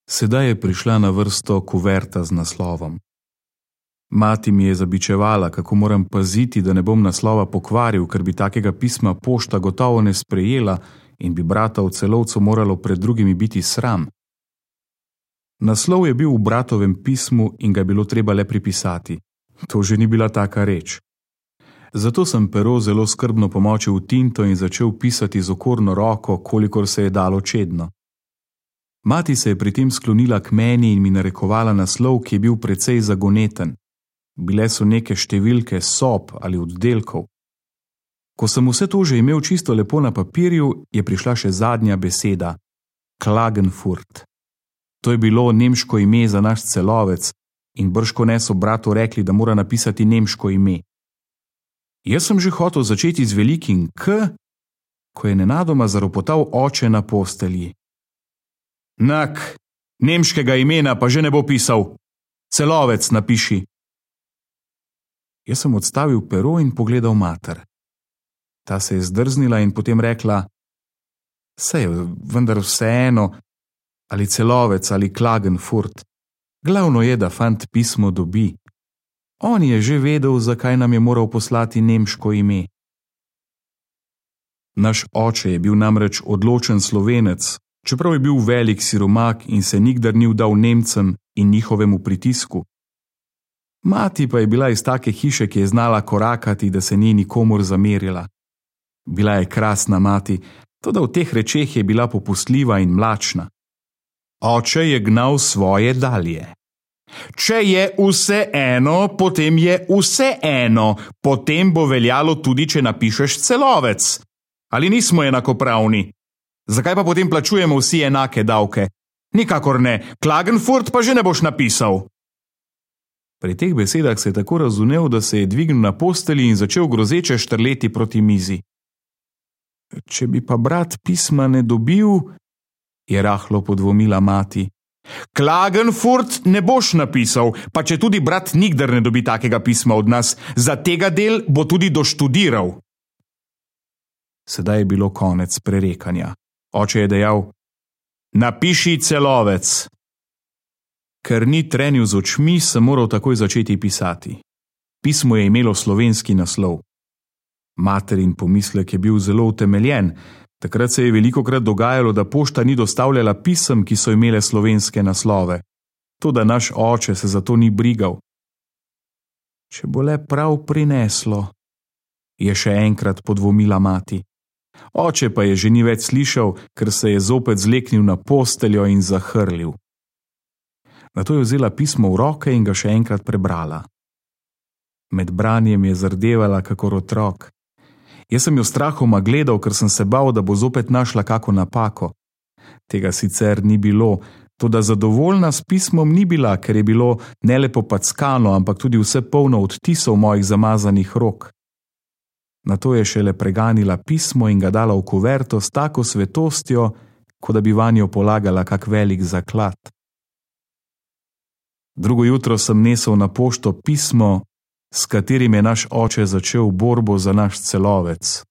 Sedaj je prišla na vrsto kuverta z naslovom. Mati mi je zabičevala, kako moram paziti, da ne bom naslova pokvaril, ker bi takega pisma pošta gotovo ne sprejela in bi brata v Celovcu moralo pred drugimi biti sram. Naslov je bil v bratovem pismu in ga je bilo treba le pripisati. To že ni bila taka reč. Zato sem pero zelo skrbno pomočil v tinto in začel pisati z okorno roko, kolikor se je dalo čedno. Mati se je pri tem sklonila k meni in mi narekovala naslov, ki je bil precej zagoneten. Bile so neke številke sob ali oddelkov. Ko sem vse to že imel čisto lepo na papirju, je prišla še zadnja beseda – Klagenfurt. To je bilo nemško ime za naš Celovec in bržkone so bratu rekli, da mora napisati nemško ime. Jaz sem že hotel začeti z velikim K, ko je nenadoma zaropotal oče na postelji. Nak, nemškega imena pa že ne bo pisal. Celovec napiši. Jaz sem odstavil pero in pogledal mater. Ta se je zdrznila in potem rekla: Saj, vendar vseeno, ali Celovec ali Klagenfurt. Glavno je, da fant pismo dobi. On je že vedel, zakaj nam je moral poslati nemško ime. Naš oče je bil namreč odločen Slovenec, čeprav je bil velik siromak in se nikdar ni vdal Nemcem in njihovemu pritisku. Mati pa je bila iz take hiše, ki je znala korakati, da se ni nikomur zamerila. Bila je krasna mati, toda v teh rečeh je bila popustljiva in mlačna. Oče je gnal svoje dalje. Če je vse eno, potem je vse eno, potem bo veljalo tudi, če napišeš Celovec. Ali nismo enakopravni? Zakaj pa potem plačujemo vsi enake davke? Nikakor ne, Klagenfurt pa že ne boš napisal. Pri teh besedah se je tako razumel, da se je dvignil na postelji in začel grozeče štrleti proti mizi. Če bi pa brat pisma ne dobil, je rahlo podvomila mati. Klagenfurt ne boš napisal, pa če tudi brat nikdar ne dobi takega pisma od nas, za tega del bo tudi doštudiral. Sedaj je bilo konec prerekanja. Oče je dejal: Napiši Celovec. Ker ni trenil z očmi, sem moral takoj začeti pisati. Pismo je imelo slovenski naslov. Materin pomislek je bil zelo utemeljen. Takrat se je velikokrat dogajalo, da pošta ni dostavljala pisem, ki so imele slovenske naslove. Toda naš oče se za to ni brigal. Če bo le prav prineslo, je še enkrat podvomila mati. Oče pa je že ni več slišal, ker se je zopet zleknil na posteljo in zahrlil. Nato je vzela pismo v roke in ga še enkrat prebrala. Med branjem je zardevala kakor otrok. Jaz sem jo strahoma gledal, ker sem se bal, da bo zopet našla kako napako. Tega sicer ni bilo, toda zadovoljna s pismom ni bila, ker je bilo ne le popackano, ampak tudi vse polno odtisov mojih zamazanih rok. Nato je šele preganila pismo in ga dala v kuverto s tako svetostjo, kot da bi vanjo polagala kak velik zaklad. Drugo jutro sem nesel na pošto pismo, s katerim je naš oče začel borbo za naš Celovec.